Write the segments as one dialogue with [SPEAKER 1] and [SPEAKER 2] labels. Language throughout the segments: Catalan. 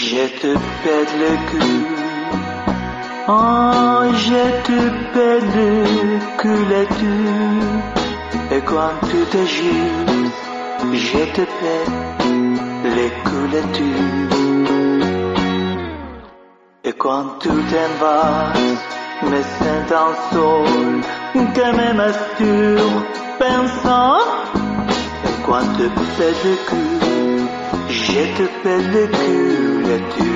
[SPEAKER 1] Je te pète le cul. Oh, je te pète le cul et tu. Et quand tu te gires, je te pète le cul et tu. Et quand tu t'en vas, me sentant seul, que me masturbe pensant. Et quand tu pètes le cul, je te pète le cul et tu.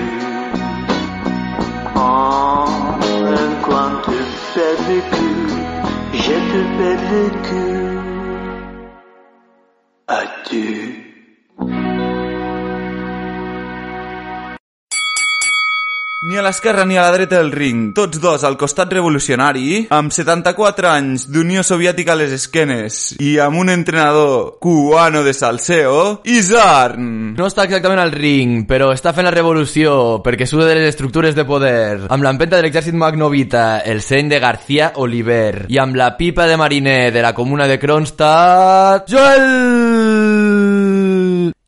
[SPEAKER 1] Oh, quand tu pètes le cul, je te pète le cul à tu.
[SPEAKER 2] Ni a l'esquerra ni a la dreta del ring, tots dos al costat revolucionari, amb 74 anys d'Unió Soviètica a les esquenes i amb un entrenador cubano de salseo, Izarn.
[SPEAKER 3] No està exactament al ring, però està fent la revolució perquè suda de les estructures de poder, amb l'empenta de l'exèrcit magnovita, el seny de García Oliver, i amb la pipa de mariner de la comuna de Kronstadt, Joel!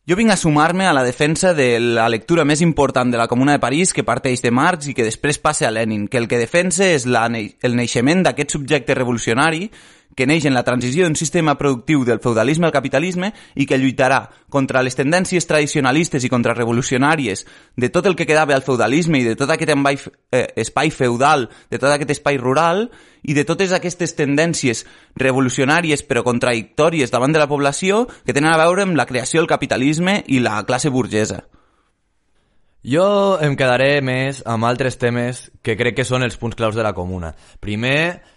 [SPEAKER 2] Jo vinc a sumar-me a la defensa de la lectura més important de la Comuna de París, que parteix de Marx i que després passa a Lenin, que el que defensa és el naixement d'aquest subjecte revolucionari que neix en la transició d'un sistema productiu del feudalisme al capitalisme i que lluitarà contra les tendències tradicionalistes i contrarrevolucionàries de tot el que quedava al feudalisme i de tot aquest espai feudal, de tot aquest espai rural i de totes aquestes tendències revolucionàries però contradictòries davant de la població que tenen a veure amb la creació del capitalisme i la classe burgesa.
[SPEAKER 3] Jo em quedaré més amb altres temes que crec que són els punts claus de la Comuna. Primer,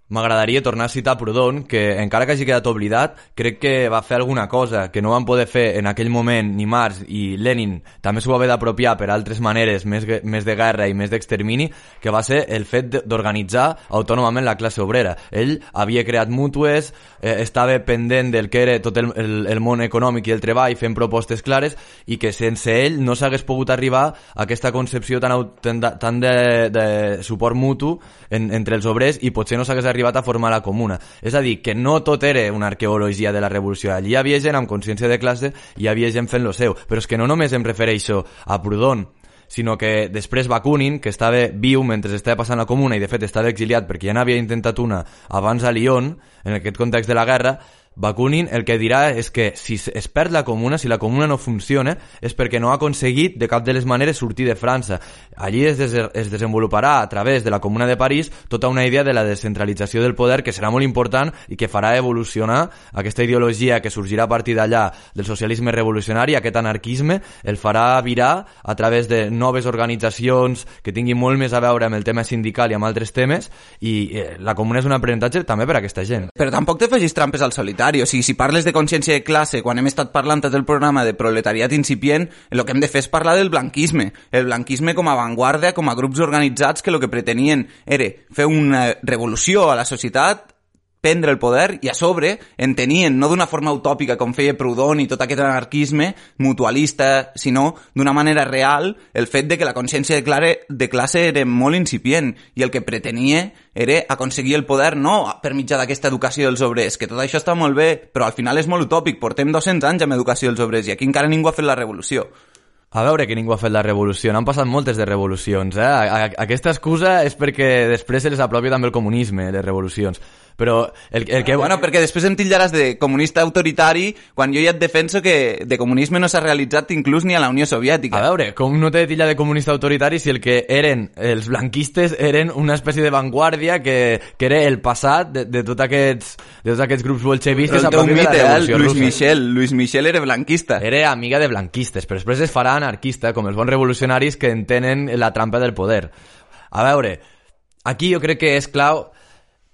[SPEAKER 3] m'agradaria tornar a citar Proudhon, que encara que hagi quedat oblidat, crec que va fer alguna cosa que no van poder fer en aquell moment ni Marx i Lenin, també s'ho va haver d'apropiar per altres maneres, més de guerra i més d'extermini, que va ser el fet d'organitzar autònomament la classe obrera. Ell havia creat mútues, estava pendent del que era tot el món econòmic i el treball, fent propostes clares, i que sense ell no s'hagués pogut arribar a aquesta concepció tan de suport mutu entre els obrers i potser no s'hagués arribat a formar la Comuna. És a dir, que no tot era una arqueologia de la revolució. Allí hi havia gent amb consciència de classe i hi havia gent fent lo seu. Però és que no només em refereixo a Proudhon, sinó que després Bakunin, que estava viu mentre estava passant la Comuna i de fet estava exiliat perquè ja n'havia intentat una abans a Lyon, en aquest context de la guerra, Bakunin el que dirà és que si es perd la Comuna, si la Comuna no funciona, és perquè no ha aconseguit de cap de les maneres sortir de França. Allí es desenvoluparà a través de la Comuna de París tota una idea de la descentralització del poder que serà molt important i que farà evolucionar aquesta ideologia que sorgirà a partir d'allà del socialisme revolucionari, aquest anarquisme, el farà virar a través de noves organitzacions que tinguin molt més a veure amb el tema sindical i amb altres temes, i la Comuna és un aprenentatge també per a aquesta gent.
[SPEAKER 2] Però tampoc te facis trampes al solitari. O sigui, si parles de consciència de classe, quan hem estat parlant tot el programa de proletariat incipient, el que hem de fer és parlar del blanquisme. El blanquisme com a avantguarda, com a grups organitzats que el que pretenien era fer una revolució a la societat, prendre el poder i a sobre entenien, no d'una forma utòpica com feia Proudhon i tot aquest anarquisme mutualista, sinó d'una manera real el fet de que la consciència de classe era molt incipient i el que pretenia era aconseguir el poder no per mitjà d'aquesta educació dels obrers, que tot això està molt bé, però al final és molt utòpic. Portem 200 anys amb educació dels obrers i aquí encara ningú ha fet la revolució.
[SPEAKER 3] A veure que ningú ha fet la revolució, n'han passat moltes de revolucions, Aquesta excusa és perquè després se les apropia també el comunisme, les revolucions. Però el que...
[SPEAKER 2] Bueno, perquè després em tillaràs de comunista autoritari quan jo ja et defenso que de comunisme no s'ha realitzat inclús ni a la Unió Soviètica.
[SPEAKER 3] A veure, com no t'he de tillar de comunista autoritari si el que eren els blanquistes eren una espècie de vanguardia que era el passat de tots aquests grups bolxevistes a partir de la revolució russa.
[SPEAKER 2] Luis Michel era blanquista.
[SPEAKER 3] Era amiga de blanquistes, però després es farà anarquista, com els bons revolucionaris que entenen la trampa del poder. A veure, aquí jo crec que és clau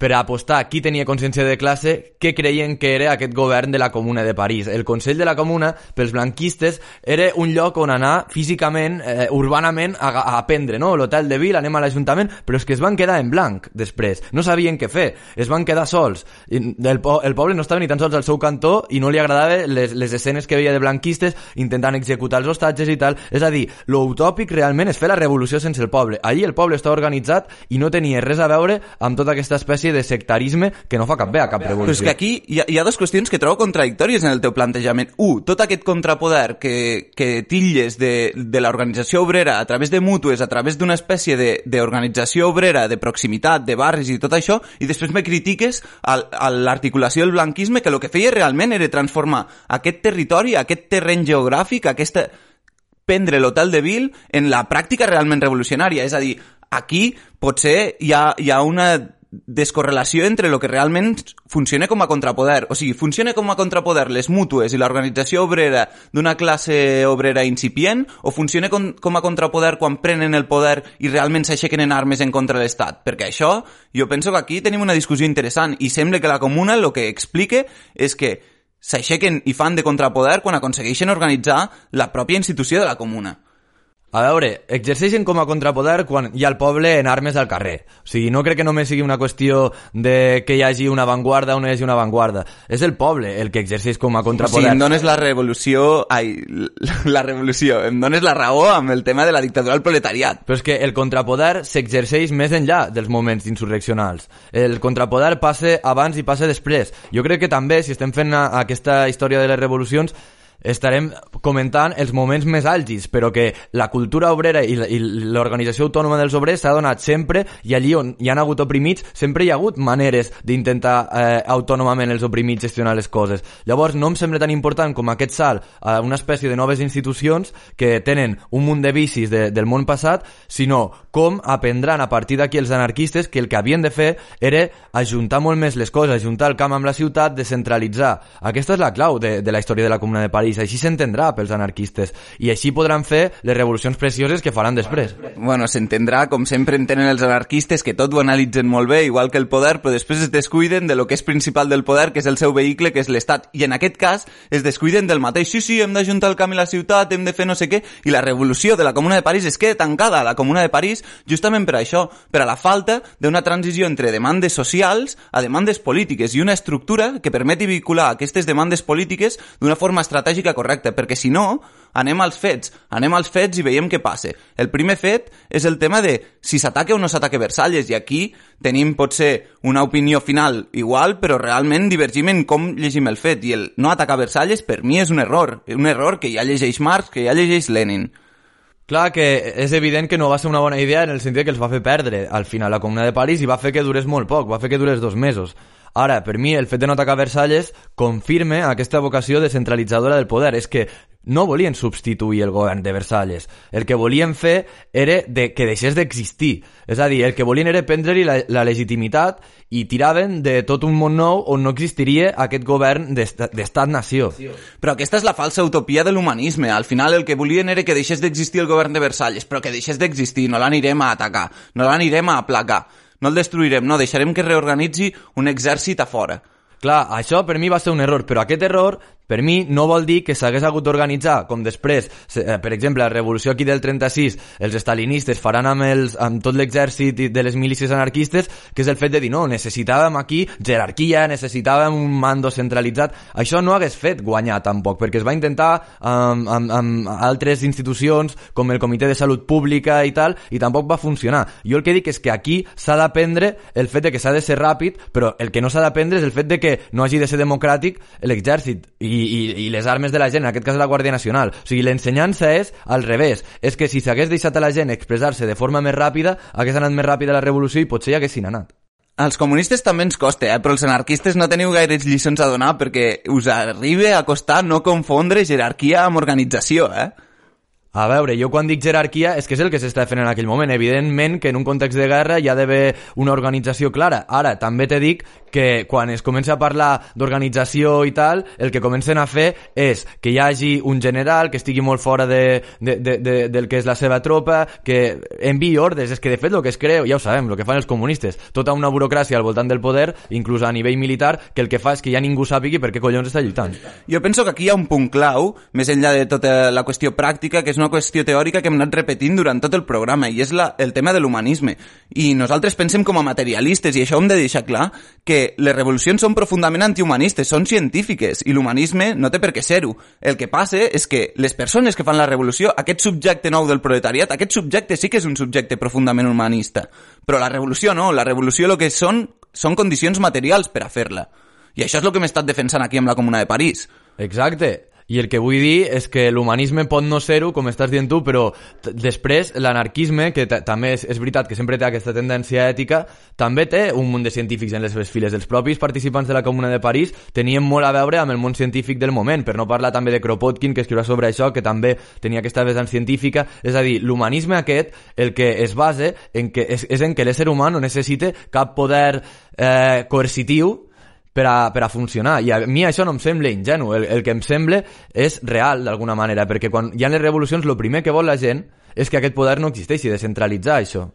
[SPEAKER 3] per a apostar qui tenia consciència de classe, què creien que era aquest govern de la Comuna de París. El Consell de la Comuna, pels blanquistes, era un lloc on anar físicament, urbanament, a aprendre, no? L'hotel de Ville, anem a l'Ajuntament, però és que es van quedar en blanc després. No sabien què fer, es van quedar sols. El poble no estava ni tan sols al seu cantó i no li agradaven les escenes que veia de blanquistes intentant executar els hostatges i tal. És a dir, lo utòpic realment és fer la revolució sense el poble. Allí el poble estava organitzat i no tenia res a veure amb tota aquesta espècie espècie de sectarisme que no fa cap bé a cap revolució.
[SPEAKER 2] Però és que aquí hi ha dues qüestions que trobo contradictòries en el teu plantejament. Tot aquest contrapoder que titlles de l'organització obrera a través de mútues, a través d'una espècie d'organització obrera, de proximitat, de barris i tot això, i després me critiques a l'articulació del blanquisme, que el que feia realment era transformar aquest territori, aquest terreny geogràfic, prendre l'Hotel de Ville en la pràctica realment revolucionària. És a dir, aquí potser hi ha una descorrelació entre el que realment funciona com a contrapoder. O sigui, funciona com a contrapoder les mútues i l'organització obrera d'una classe obrera incipient, o funciona com a contrapoder quan prenen el poder i realment s'aixequen en armes en contra de l'Estat. Perquè això, jo penso que aquí tenim una discussió interessant i sembla que la Comuna el que explica és que s'aixequen i fan de contrapoder quan aconsegueixen organitzar la pròpia institució de la Comuna.
[SPEAKER 3] A veure, exerceixen com a contrapoder quan hi ha el poble en armes al carrer. O sigui, no crec que només sigui una qüestió de que hi hagi una avantguarda o no hi hagi una avantguarda. És el poble el que exerceix com a contrapoder.
[SPEAKER 2] O sigui, em dones em dones la raó amb el tema de la dictadura del proletariat.
[SPEAKER 3] Però és que el contrapoder s'exerceix més enllà dels moments insurreccionals. El contrapoder passa abans i passa després. Jo crec que també, si estem fent aquesta història de les revolucions, estarem comentant els moments més àlgids, però que la cultura obrera i l'organització autònoma dels obrers s'ha donat sempre, i allí on hi han hagut oprimits sempre hi ha hagut maneres d'intentar autònomament els oprimits gestionar les coses. Llavors no em sembla tan important com aquest salt a una espècie de noves institucions que tenen un munt de vicis del món passat, sinó com aprendran a partir d'aquí els anarquistes que el que havien de fer era ajuntar molt més les coses, ajuntar el camp amb la ciutat, descentralitzar. Aquesta és la clau de la història de la Comuna de París. Així s'entendrà pels anarquistes i així podran fer les revolucions precioses que faran després.
[SPEAKER 2] Bueno, s'entendrà com sempre entenen els anarquistes, que tot ho analitzen molt bé, igual que el poder, però després es descuiden de lo que és principal del poder, que és el seu vehicle, que és l'Estat, i en aquest cas es descuiden del mateix. Sí, hem d'ajuntar el camp i la ciutat, hem de fer no sé què, i la revolució de la Comuna de París es queda tancada a la Comuna de París justament per això, per a la falta d'una transició entre demandes socials a demandes polítiques i una estructura que permeti vincular aquestes demandes polítiques d'una forma estratègica correcta, perquè si no, anem als fets i veiem què passa. El primer fet és el tema de si s'ataca o no s'ataca Versalles, i aquí tenim potser una opinió final igual, però realment divergim en com llegim el fet, i el no atacar Versalles per mi és un error que ja llegeix Marx, que ja llegeix Lenin.
[SPEAKER 3] Clar que és evident que no va ser una bona idea en el sentit que els va fer perdre al final la Comuna de París i va fer que durés molt poc, va fer que durés 2 mesos. Ara, per mi, el fet de no atacar Versalles confirma aquesta vocació descentralitzadora del poder. És que no volien substituir el govern de Versalles. El que volien fer era que deixés d'existir. És a dir, el que volien era prendre-li la legitimitat i tiraven de tot un món nou on no existiria aquest govern d'estat-nació.
[SPEAKER 2] Però aquesta és la falsa utopia de l'humanisme. Al final el que volien era que deixés d'existir el govern de Versalles, però que deixés d'existir, no l'anirem a atacar, no l'anirem a aplacar. No el destruirem, no, deixarem que reorganitzi un exèrcit a fora.
[SPEAKER 3] Clar, això per mi va ser un error, però aquest error per mi no vol dir que s'hagués hagut d'organitzar, com després, per exemple, la revolució aquí del 36, els estalinistes faran amb tot l'exèrcit de les milícies anarquistes, que és el fet de dir, no, necessitàvem aquí jerarquia, necessitàvem un mando centralitzat. Això no hagués fet guanyar tampoc, perquè es va intentar amb altres institucions, com el Comitè de Salut Pública i tal, i tampoc va funcionar. Jo el que dic és que aquí s'ha d'aprendre el fet de que s'ha de ser ràpid, però el que no s'ha d'aprendre és el fet de que no hagi de ser democràtic l'exèrcit i les armes de la gent, en aquest cas la Guàrdia Nacional. O sigui, l'ensenyança és al revés. És que si s'hagués deixat a la gent expressar-se de forma més ràpida, hagués anat més ràpida la revolució i potser hi haguessin anat.
[SPEAKER 2] Als comunistes també ens costa, però els anarquistes no teniu gaires lliçons a donar perquè us arriba a costar no confondre jerarquia amb organització,
[SPEAKER 3] A veure, jo quan dic jerarquia és que és el que s'està fent en aquell moment. Evidentment que en un context de guerra hi ha d'haver una organització clara. Ara, també te dic que quan es comença a parlar d'organització i tal, el que comencen a fer és que hi hagi un general que estigui molt fora del que és la seva tropa, que enviï ordres. És que de fet el que es creu, ja ho sabem, el que fan els comunistes, tota una burocràcia al voltant del poder, inclús a nivell militar, que el que fa és que ja ningú sàpigui per què collons està lluitant.
[SPEAKER 2] Jo penso que aquí hi ha un punt clau, més enllà de tota la qüestió pràctica, que és una qüestió teòrica que hem anat repetint durant tot el programa, i és el tema de l'humanisme. I nosaltres pensem com a materialistes, i això ho hem de deixar clar, que les revolucions són profundament antihumanistes, són científiques, i l'humanisme no té per què ser-ho. El que passa és que les persones que fan la revolució, aquest subjecte nou del proletariat, aquest subjecte sí que és un subjecte profundament humanista. Però la revolució no, la revolució el que són són condicions materials per a fer-la. I això és el que hem estat defensant aquí amb la Comuna de París.
[SPEAKER 3] Exacte. I el que vull dir és que l'humanisme pot no ser-ho, com estàs dient tu, però després l'anarquisme, que també és veritat que sempre té aquesta tendència ètica, també té un munt de científics en les seves files. Els propis participants de la Comuna de París tenien molt a veure amb el món científic del moment, per no parlar també de Kropotkin, que escriurà sobre això, que també tenia aquesta vessant científica. És a dir, l'humanisme aquest, el que es basa en que és en que l'ésser humà no necessita cap poder coercitiu per a funcionar, i a mi això no em sembla ingenu, el que em sembla és real d'alguna manera, perquè quan hi ha les revolucions el primer que vol la gent és que aquest poder no existeixi, descentralitzar això.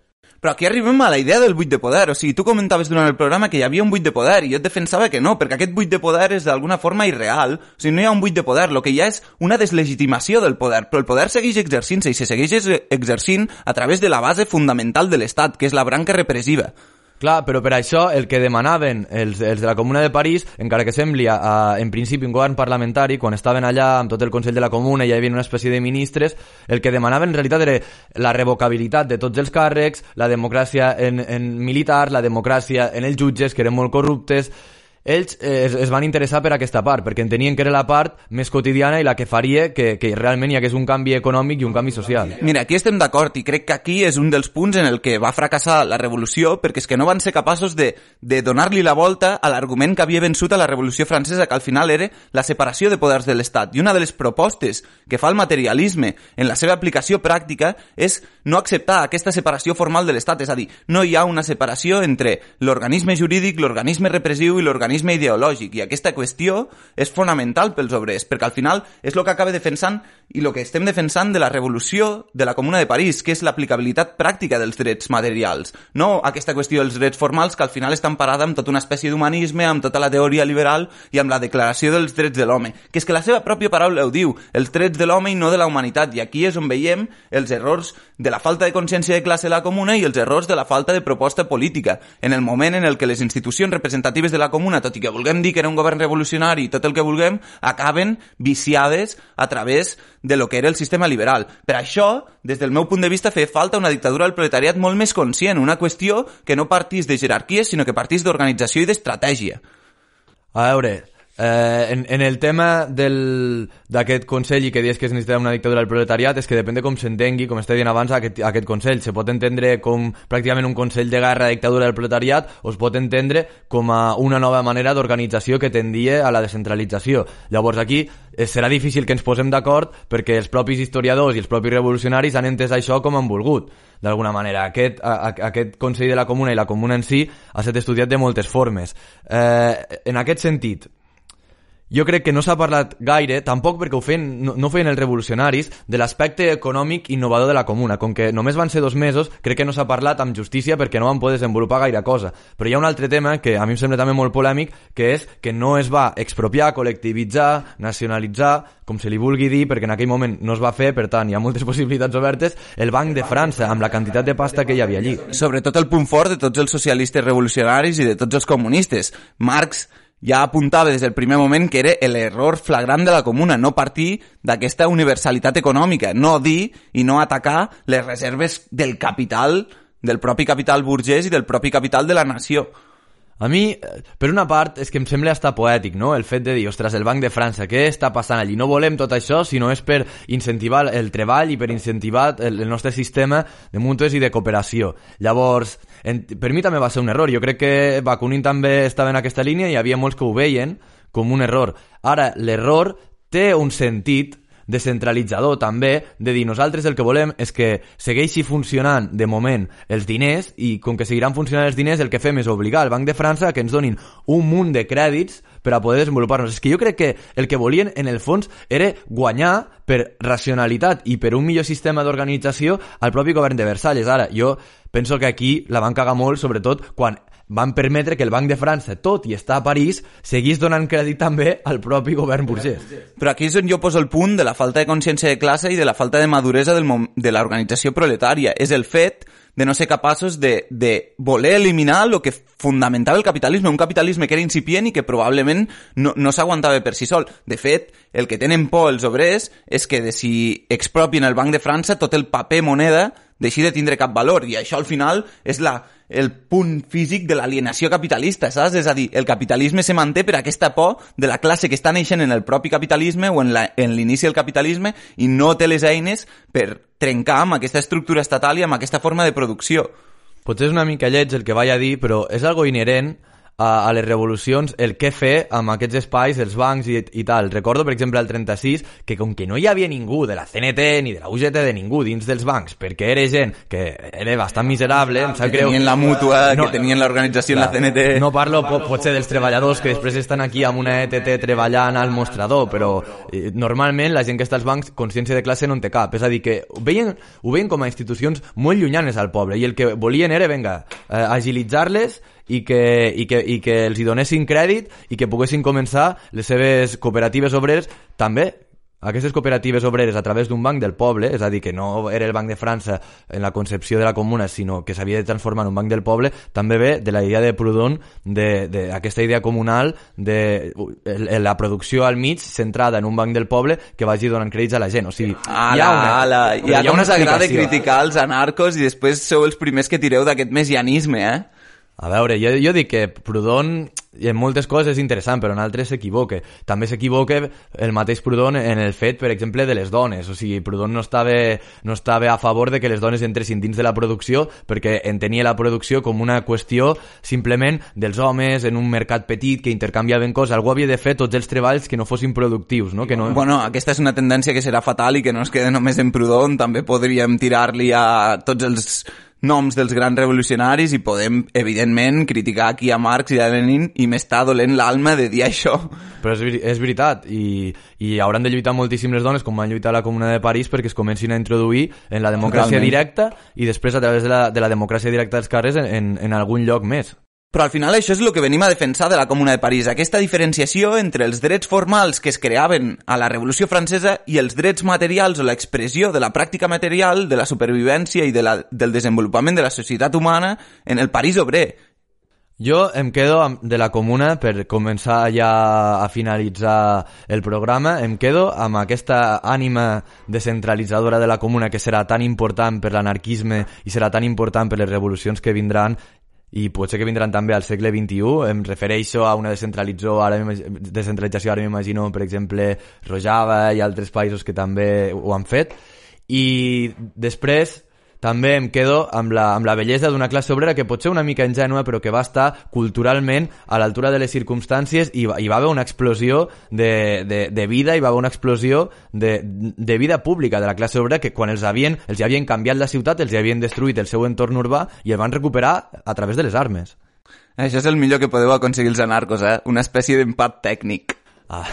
[SPEAKER 2] Però aquí arribem a la idea del buit de poder, o sigui, tu comentaves durant el programa que hi havia un buit de poder i jo et defensava que no, perquè aquest buit de poder és d'alguna forma irreal, o sigui, no hi ha un buit de poder, el que hi ha és una deslegitimació del poder, però el poder segueix exercint-se i se segueix exercint a través de la base fundamental de l'Estat, que és la branca repressiva.
[SPEAKER 3] Clar, però per això el que demanaven els de la Comuna de París, encara que sembli en principi un govern parlamentari, quan estaven allà amb tot el Consell de la Comuna i hi havia una espècie de ministres, el que demanaven en realitat era la revocabilitat de tots els càrrecs, la democràcia en militar, la democràcia en els jutges, que eren molt corruptes. Ells es van interessar per aquesta part, perquè entenien que era la part més quotidiana i la que faria que realment hi hagués un canvi econòmic i un canvi social.
[SPEAKER 2] Mira, aquí estem d'acord i crec que aquí és un dels punts en el que va fracassar la revolució, perquè és que no van ser capaços de donar-li la volta a l'argument que havia vençut a la Revolució Francesa, que al final era la separació de poders de l'Estat. I una de les propostes que fa el materialisme en la seva aplicació pràctica és no acceptar aquesta separació formal de l'Estat, és a dir, no hi ha una separació entre l'organisme jurídic, l'organisme repressiu i l'organisme ideològic, i aquesta qüestió és fonamental pels obrers, perquè al final és el que acaba defensant i el que estem defensant de la revolució de la Comuna de París, que és l'aplicabilitat pràctica dels drets materials, no aquesta qüestió dels drets formals que al final estan parada amb tota una espècie d'humanisme, amb tota la teoria liberal i amb la declaració dels drets de l'home, que és que la seva pròpia paraula ho diu, els drets de l'home i no de la humanitat, i aquí és on veiem els errors de la falta de consciència de classe de la Comuna i els errors de la falta de proposta política, en el moment en el que les institucions representatives de la Comuna, tot i que vulguem dir que era un govern revolucionari i tot el que vulguem, acaben viciades a través de lo que era el sistema liberal. Per això, des del meu punt de vista, feia falta una dictadura del proletariat molt més conscient, una qüestió que no partís de jerarquies, sinó que partís d'organització i d'estratègia.
[SPEAKER 3] A veure, en el tema d'aquest Consell i que dius que es necessita una dictadura del proletariat, és que depèn de com s'entengui, com estava dient abans, aquest Consell. Se pot entendre com pràcticament un Consell de guerra de dictadura del proletariat o es pot entendre com a una nova manera d'organització que tendia a la descentralització. Llavors aquí serà difícil que ens posem d'acord perquè els propis historiadors i els propis revolucionaris han entès això com han volgut. D'alguna manera, aquest Consell de la Comuna i la Comuna en si ha estat estudiat de moltes formes. En aquest sentit, jo crec que no s'ha parlat gaire, tampoc perquè no feien els revolucionaris, de l'aspecte econòmic innovador de la Comuna. Com que només van ser 2 mesos, crec que no s'ha parlat amb justícia perquè no van poder desenvolupar gaire cosa. Però hi ha un altre tema que a mi em sembla també molt polèmic, que és que no es va expropiar, col·lectivitzar, nacionalitzar, com se li vulgui dir, perquè en aquell moment no es va fer, per tant hi ha moltes possibilitats obertes, el Banc de França, amb la quantitat de pasta que hi havia allí.
[SPEAKER 2] Sobretot el punt fort de tots els socialistes revolucionaris i de tots els comunistes. Marx ja apuntava des del primer moment que era l'error flagrant de la Comuna, no partir d'aquesta universalitat econòmica, no dir i no atacar les reserves del capital, del propi capital burgès i del propi capital de la nació.
[SPEAKER 3] A mi, per una part, és que em sembla estar poètic, no? El fet de dir, ostres, el Banc de França, què està passant allí? No volem tot això, sinó és per incentivar el treball i per incentivar el nostre sistema de mútues i de cooperació. Llavors, per mi també va ser un error. Jo crec que Bakunin també estava en aquesta línia i hi havia molts que ho veien com un error. Ara, l'error té un sentit descentralitzador també, de dir nosaltres el que volem és que segueixi funcionant de moment els diners i com que seguiran funcionant els diners el que fem és obligar al Banc de França que ens donin un munt de crèdits per a poder desenvolupar-nos. És que jo crec que el que volien en el fons era guanyar per racionalitat i per un millor sistema d'organització al propi govern de Versalles. Ara, jo penso que aquí la van cagar molt, sobretot quan van permetre que el Banc de França, tot i estar a París, seguís donant crèdit també al propi govern burgès.
[SPEAKER 2] Però aquí és on jo poso el punt de la falta de consciència de classe i de la falta de maduresa de l'organització proletària. És el fet de no ser capaços de voler eliminar el que fundamentava el capitalisme, un capitalisme que era incipient i que probablement no s'aguantava per si sol. De fet, el que tenen por els obrers és que si expropien el Banc de França, tot el paper moneda deixi de tindre cap valor, i això al final és el punt físic de l'alienació capitalista, saps? És a dir, el capitalisme se manté per aquesta por de la classe que està naixent en el propi capitalisme o en l'inici del capitalisme i no té les eines per trencar amb aquesta estructura estatal i amb aquesta forma de producció.
[SPEAKER 3] Potser és una mica lleig el que vaig a dir, però és algo inherent a les revolucions el què fer amb aquests espais, els bancs i tal. Recordo, per exemple, al 36, que com que no hi havia ningú de la CNT ni de la UGT, de ningú dins dels bancs, perquè era gent que era bastant miserable, em sap greu.
[SPEAKER 2] Tenien la mútua, que tenien l'organització en la CNT.
[SPEAKER 3] No parlo potser dels treballadors que després estan aquí amb una ETT treballant al mostrador, però normalment la gent que està als bancs, consciència de classe no en té cap. És a dir, que ho veien com a institucions molt llunyanes al poble, i el que volien era, agilitzar-les i que els hi donessin crèdit i que poguessin començar les seves cooperatives obreres també. Aquestes cooperatives obreres a través d'un banc del poble, és a dir, que no era el Banc de França en la concepció de la comuna, sinó que s'havia de transformar en un banc del poble, també ve de la idea de Proudhon, d'aquesta idea comunal de la producció al mig centrada en un banc del poble que vagi donant crèdits a la gent. O sigui,
[SPEAKER 2] hi ha com us agrada criticar els anarcos i després sou els primers que tireu d'aquest messianisme, eh?
[SPEAKER 3] A veure, jo dic que Proudhon en moltes coses és interessant, però en altres s'equivoca. També s'equivoca el mateix Proudhon en el fet, per exemple, de les dones. O sigui, Proudhon no estava a favor de que les dones entressin dins de la producció perquè entenia la producció com una qüestió simplement dels homes en un mercat petit que intercanviaven coses. Algú havia de fer tots els treballs que no fossin productius, no? Que no...
[SPEAKER 2] Bueno, aquesta és una tendència que serà fatal i que no es queda només en Proudhon. També podríem tirar-li a tots els noms dels grans revolucionaris i podem, evidentment, criticar aquí a Marx i a Lenin i m'està dolent l'alma de dir això.
[SPEAKER 3] Però és veritat, i hauran de lluitar moltíssim les dones, com van lluitar a la Comuna de París, perquè es comencin a introduir en la democràcia directa i després a través de la democràcia directa dels carrers en algun lloc més.
[SPEAKER 2] Però al final això és el que venim a defensar de la Comuna de París, aquesta diferenciació entre els drets formals que es creaven a la Revolució Francesa i els drets materials o l'expressió de la pràctica material, de la supervivència i del desenvolupament de la societat humana en el París obrer.
[SPEAKER 3] Jo em quedo de la Comuna, per començar ja a finalitzar el programa, em quedo amb aquesta ànima descentralitzadora de la Comuna que serà tan important per l'anarquisme i serà tan important per les revolucions que vindran i potser que vindran també al segle XXI. Em refereixo a una descentralització, ara m'imagino, per exemple, Rojava i altres països que també ho han fet. I després també em quedo amb la bellesa d'una classe obrera que pot ser una mica ingènua, però que va estar culturalment a l'altura de les circumstàncies i va haver una explosió de vida, i va haver una explosió de vida pública de la classe obrera, que quan els havien canviat la ciutat, els havien destruït el seu entorn urbà i el van recuperar a través de les armes.
[SPEAKER 2] Això és el millor que podeu aconseguir els anarcos, eh? Una espècie d'empat tècnic.
[SPEAKER 3] Ah.